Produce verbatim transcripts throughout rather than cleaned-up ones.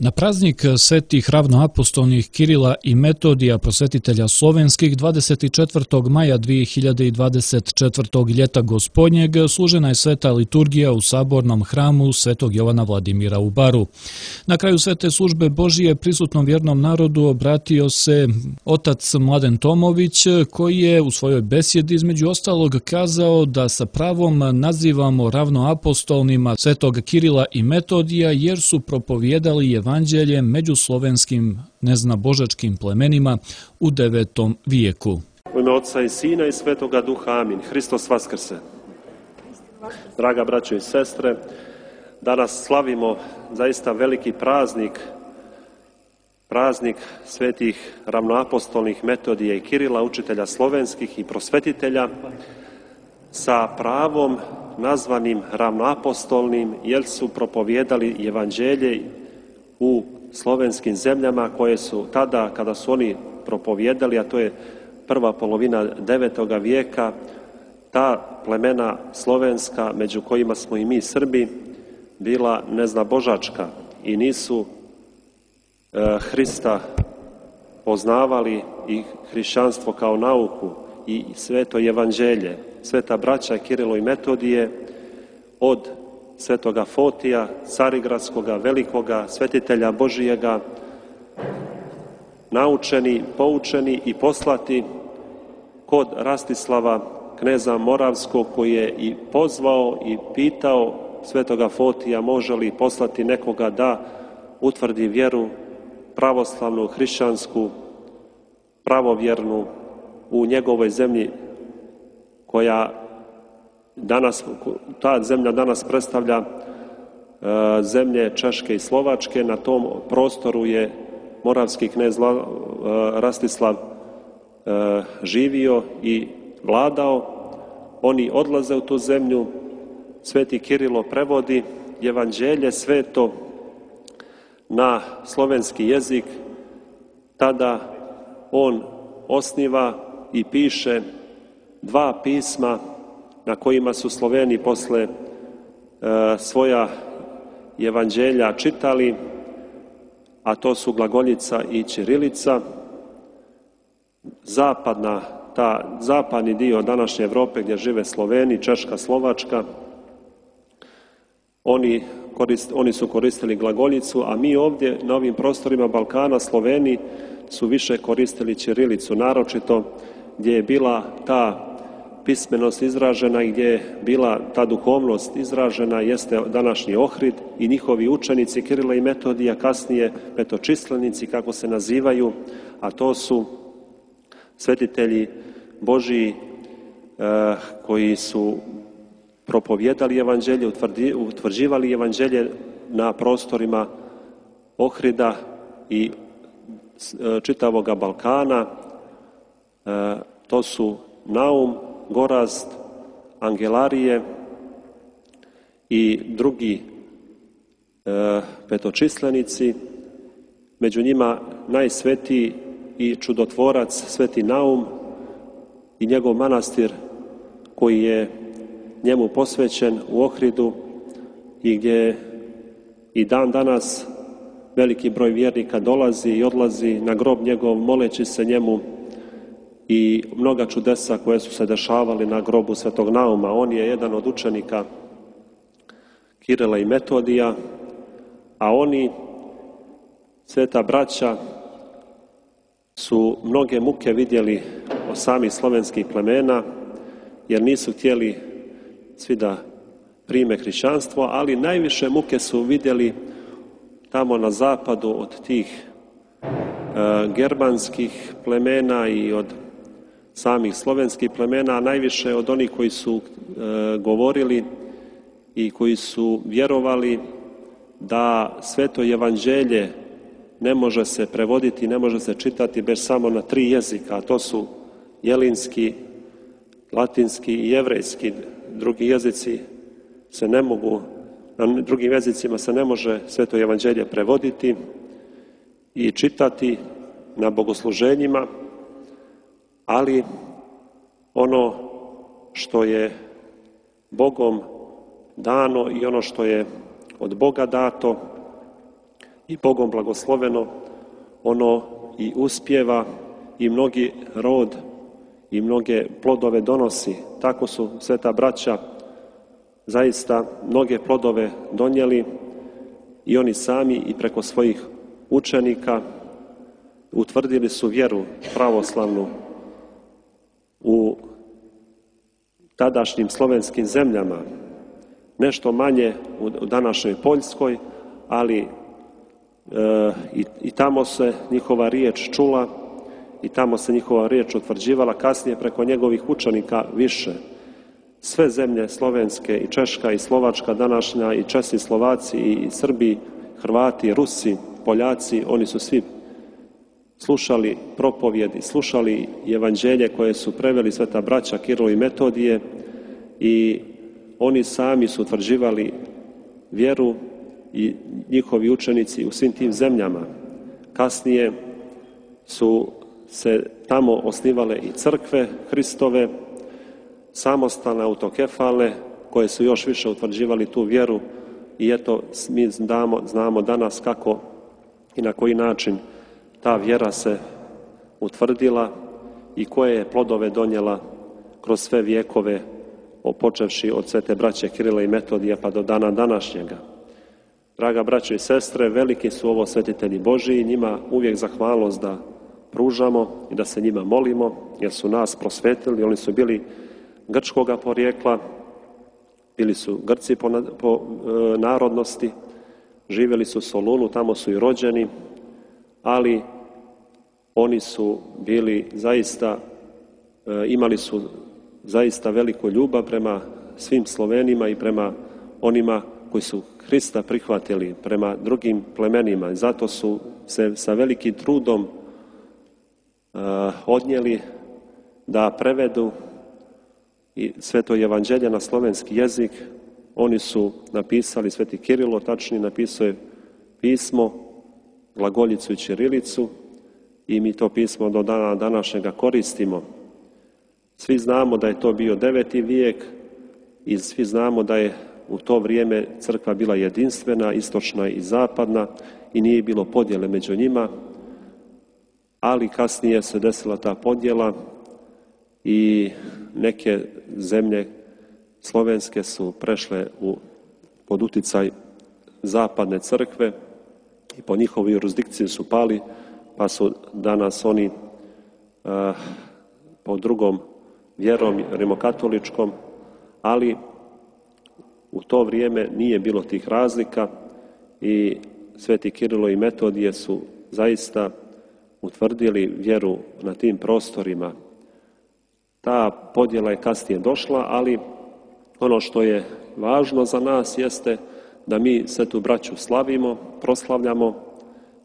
Na praznik svetih ravnoapostolnih Kirila i Metodija, prosvetitelja slovenskih, dvadeset četvrtog maja dvije hiljade dvadeset četvrtog ljeta gospodnjeg služena je sveta liturgija u sabornom hramu Svetog Jovana Vladimira u Baru. Na kraju svete službe Božije prisutnom vjernom narodu obratio se otac Mladen Tomović, koji je u svojoj besjedi između ostalog kazao da sa pravom nazivamo ravnoapostolnima Svetog Kirila i Metodija jer su propovijedali evanđelje među slovenskim neznabožačkim plemenima u devetom vijeku. U ime Otca i Sina i Svetoga Duha, amin. Hristos vaskrse. Draga braćo i sestre, danas slavimo zaista veliki praznik, praznik svetih ravnoapostolnih Metodija i Kirila, učitelja slovenskih i prosvetitelja, sa pravom nazvanim ravnoapostolnim, jer su propovijedali evanđelje u slovenskim zemljama koje su tada, kada su oni propovijedali, a to je prva polovina devetoga vijeka, ta plemena slovenska, među kojima smo i mi Srbi, bila neznabožačka i nisu e, Hrista poznavali i hrišćanstvo kao nauku i sveto evanđelje. Sveta braća Kirilo i Metodije od svetoga Fotija, carigradskoga, velikoga, svetitelja Božijega, naučeni, poučeni i poslati kod Rastislava, kneza Moravskog, koji je i pozvao i pitao svetoga Fotija može li poslati nekoga da utvrdi vjeru pravoslavnu, hrišćansku, pravovjernu u njegovoj zemlji, koja danas, ta zemlja danas predstavlja e, zemlje Češke i Slovačke. Na tom prostoru je moravski knez e, Rastislav e, živio i vladao. Oni odlaze u tu zemlju, sveti Kirilo prevodi evanđelje sveto na slovenski jezik, tada on osniva i piše dva pisma na kojima su Sloveni posle e, svoja evanđelja čitali, a to su glagoljica i ćirilica. Zapadna, ta zapadni dio današnje Evrope gdje žive Sloveni, Češka, Slovačka, oni, korist, oni su koristili glagoljicu, a mi ovdje na ovim prostorima Balkana, Sloveni, su više koristili ćirilicu, naročito gdje je bila ta pismenost izražena i gdje je bila ta duhovnost izražena jeste današnji Ohrid i njihovi učenici Kirila i Metodija, kasnije petočislenici kako se nazivaju, a to su svetitelji Božiji eh, koji su propovijedali evanđelje, utvrdi, utvrđivali evanđelje na prostorima Ohrida i eh, čitavoga Balkana. Eh, to su Naum, Gorazd, Angelarije i drugi e, petočislenici, među njima najsvetiji i čudotvorac sveti Naum i njegov manastir koji je njemu posvećen u Ohridu i gdje i dan danas veliki broj vjernika dolazi i odlazi na grob njegov moleći se njemu, i mnoga čudesa koje su se dešavali na grobu svetog Nauma. On je jedan od učenika Kirila i Metodija, a oni, sveta braća, su mnoge muke vidjeli od samih slovenskih plemena, jer nisu htjeli svi da prime hrišćanstvo, ali najviše muke su vidjeli tamo na zapadu od tih e, germanskih plemena i od samih slovenskih plemena, a najviše od onih koji su e, govorili i koji su vjerovali da sveto evanđelje ne može se prevoditi, ne može se čitati bez samo na tri jezika, a to su jelinski, latinski i jevrejski. Drugi jezici se ne mogu, na drugim jezicima se ne može sveto evanđelje prevoditi i čitati na bogosluženjima, ali ono što je Bogom dano i ono što je od Boga dato i Bogom blagosloveno, ono i uspijeva i mnogi rod i mnoge plodove donosi. Tako su sveta braća zaista mnoge plodove donijeli i oni sami i preko svojih učenika utvrdili su vjeru pravoslavnu u tadašnjim slovenskim zemljama, nešto manje u današnjoj Poljskoj, ali e, i, i tamo se njihova riječ čula i tamo se njihova riječ utvrđivala, kasnije preko njegovih učenika više. Sve zemlje slovenske i Češka i Slovačka današnja i Česi, Slovaci i Srbi, Hrvati, Rusi, Poljaci, oni su svi slušali propovjed i slušali evanđelje koje su preveli sveta braća Kirilo i Metodije i oni sami su utvrđivali vjeru i njihovi učenici u svim tim zemljama. Kasnije su se tamo osnivale i crkve Hristove, samostalne, autokefalne, koje su još više utvrđivali tu vjeru i eto mi znamo, znamo danas kako i na koji način ta vjera se utvrdila i koje je plodove donijela kroz sve vijekove, počevši od svete braće Kirila i Metodija pa do dana današnjega. Draga braćo i sestre, veliki su ovo svetitelji Božiji i njima uvijek zahvalnost da pružamo i da se njima molimo, jer su nas prosvetili. Oni su bili grčkoga porijekla, bili su Grci po, po e, narodnosti, živjeli su u Solunu, tamo su i rođeni, ali oni su bili zaista, e, imali su zaista veliku ljubav prema svim Slovenima i prema onima koji su Hrista prihvatili, prema drugim plemenima. I zato su se sa velikim trudom e, odnijeli da prevedu i sveto evanđelje na slovenski jezik. Oni su napisali, sveti Kirilo tačnije napisao je pismo, glagoljicu i ćirilicu i mi to pismo do dana današnjega koristimo. Svi znamo da je to bio deveti vijek i svi znamo da je u to vrijeme crkva bila jedinstvena, istočna i zapadna i nije bilo podjele među njima, ali kasnije se desila ta podjela i neke zemlje slovenske su prešle u, pod uticaj zapadne crkve i po njihovoj jurisdikciji su pali, pa su danas oni uh, po drugom vjerom rimokatoličkom, ali u to vrijeme nije bilo tih razlika i sveti Kirilo i Metodije su zaista utvrdili vjeru na tim prostorima. Ta podjela je kasnije došla, ali ono što je važno za nas jeste da mi svetu braću slavimo, proslavljamo,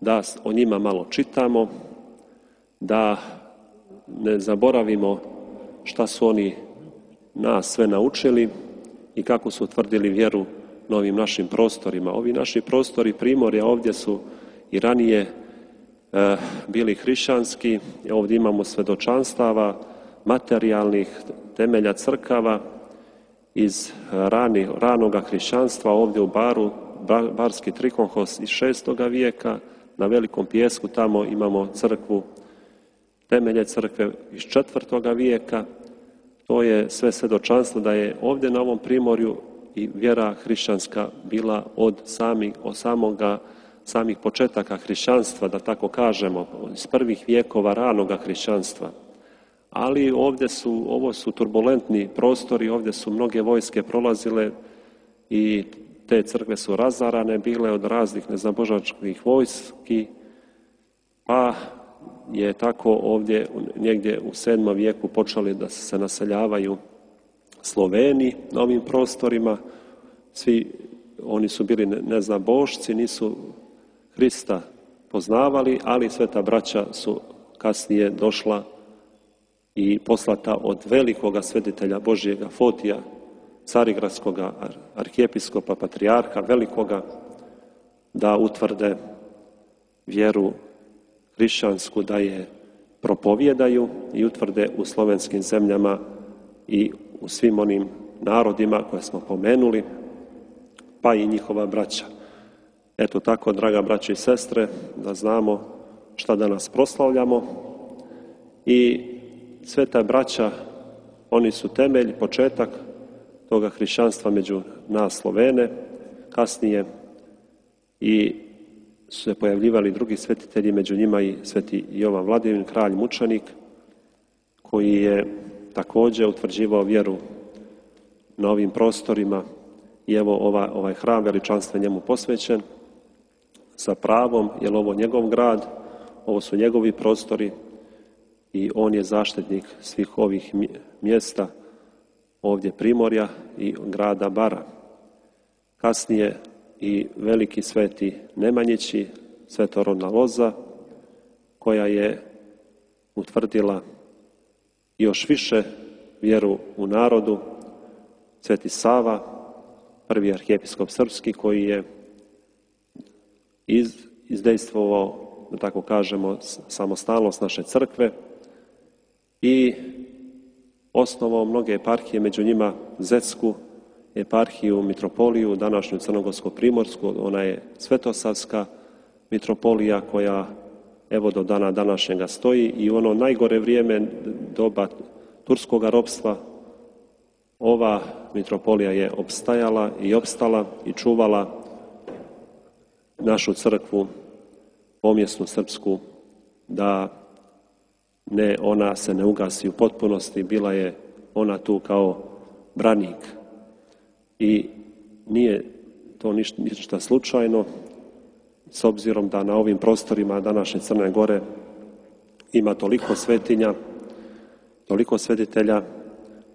da o njima malo čitamo, da ne zaboravimo šta su oni nas sve naučili i kako su utvrdili vjeru na ovim našim prostorima. Ovi naši prostori Primorja ovdje su i ranije e, bili hrišćanski, ovdje imamo svedočanstava materijalnih temelja crkava iz rani, ranoga hrišćanstva. Ovdje u Baru, Barski Trikonhos iz šestoga vijeka, na Velikom Pijesku tamo imamo crkvu, temelje crkve iz četvrtoga vijeka. To je sve svjedočanstvo da je ovdje na ovom Primorju i vjera hrišćanska bila od samih, od samoga, samih početaka hrišćanstva, da tako kažemo, iz prvih vijekova ranoga hrišćanstva. Ali ovdje su, ovo su turbulentni prostori, ovdje su mnoge vojske prolazile i te crkve su razarane bile od raznih neznabožačkih vojski, pa je tako ovdje negdje u sedmom vijeku počeli da se naseljavaju Sloveni na ovim prostorima. Svi oni su bili neznabošci, nisu Hrista poznavali, ali sveta braća su kasnije došla i poslata od velikoga svetitelja Božjega Fotija, carigradskog arhijepiskopa, patrijarha velikoga, da utvrde vjeru hrišćansku, da je propovjedaju i utvrde u slovenskim zemljama i u svim onim narodima koje smo pomenuli, pa i njihova braća. Eto tako, draga braće i sestre, da znamo šta danas proslavljamo i sveta braća, oni su temelj, početak toga hrišćanstva među nas Slovene, kasnije i su se pojavljivali drugi svetitelji, među njima i sveti Jovan Vladimir, kralj mučenik, koji je također utvrđivao vjeru na ovim prostorima i evo ovaj, ovaj hram veličanstven njemu posvećen sa pravom, jer ovo njegov grad, ovo su njegovi prostori i on je zaštitnik svih ovih mjesta, ovdje Primorja i grada Bara. Kasnije i veliki sveti Nemanjići, svetorodna loza, koja je utvrdila još više vjeru u narodu, sveti Sava, prvi arhijepiskop srpski, koji je iz, izdejstvovao, da tako kažemo, samostalnost naše crkve i osnovao mnoge eparhije, među njima Zetsku eparhiju, mitropoliju, današnju Crnogorsko-primorsku, ona je Svetosavska mitropolija koja evo do dana današnjega stoji i u ono najgore vrijeme doba turskog ropstva ova mitropolija je opstajala i opstala i čuvala našu crkvu, pomjesnu srpsku, da ne, ona se ne ugasi u potpunosti, bila je ona tu kao branik. I nije to ništa, ništa slučajno, s obzirom da na ovim prostorima današnje Crne Gore ima toliko svetinja, toliko svetitelja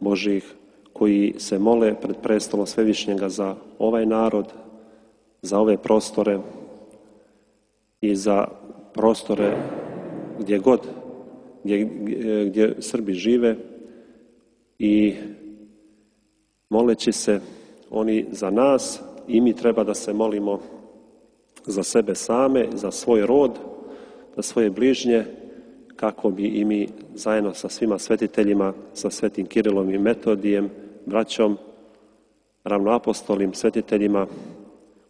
Božih koji se mole pred prestolom Svevišnjega za ovaj narod, za ove prostore i za prostore gdje god, gdje, gdje Srbi žive i moleći se oni za nas i mi treba da se molimo za sebe same, za svoj rod, za svoje bližnje, kako bi i mi zajedno sa svima svetiteljima, sa svetim Kirilom i Metodijem, braćom, ravnoapostolim svetiteljima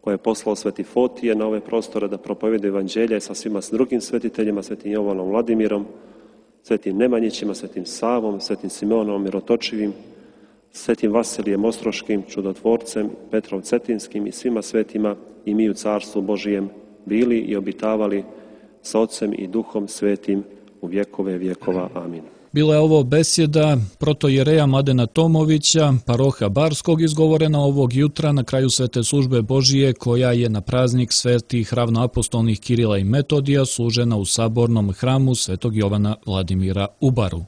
koje je poslao sveti Fotije na ove prostore da propovjede evanđelje sa svima s drugim svetiteljima, svetim Jovanom Vladimirom, svetim Nemanjićima, svetim Savom, svetim Simeonom Mirotočivim, svetim Vasilijem Ostroškim, čudotvorcem, Petrom Cetinskim i svima svetima i mi u Carstvu Božijem bili i obitavali sa Otcem i Duhom Svetim u vjekove vjekova. Amin. Bila je ovo besjeda protojereja Mladena Tomovića, paroha Barskog, izgovorena ovog jutra na kraju svete službe Božije, koja je na praznik svetih ravnoapostolnih Kirila i Metodija služena u sabornom hramu svetog Jovana Vladimira u Baru.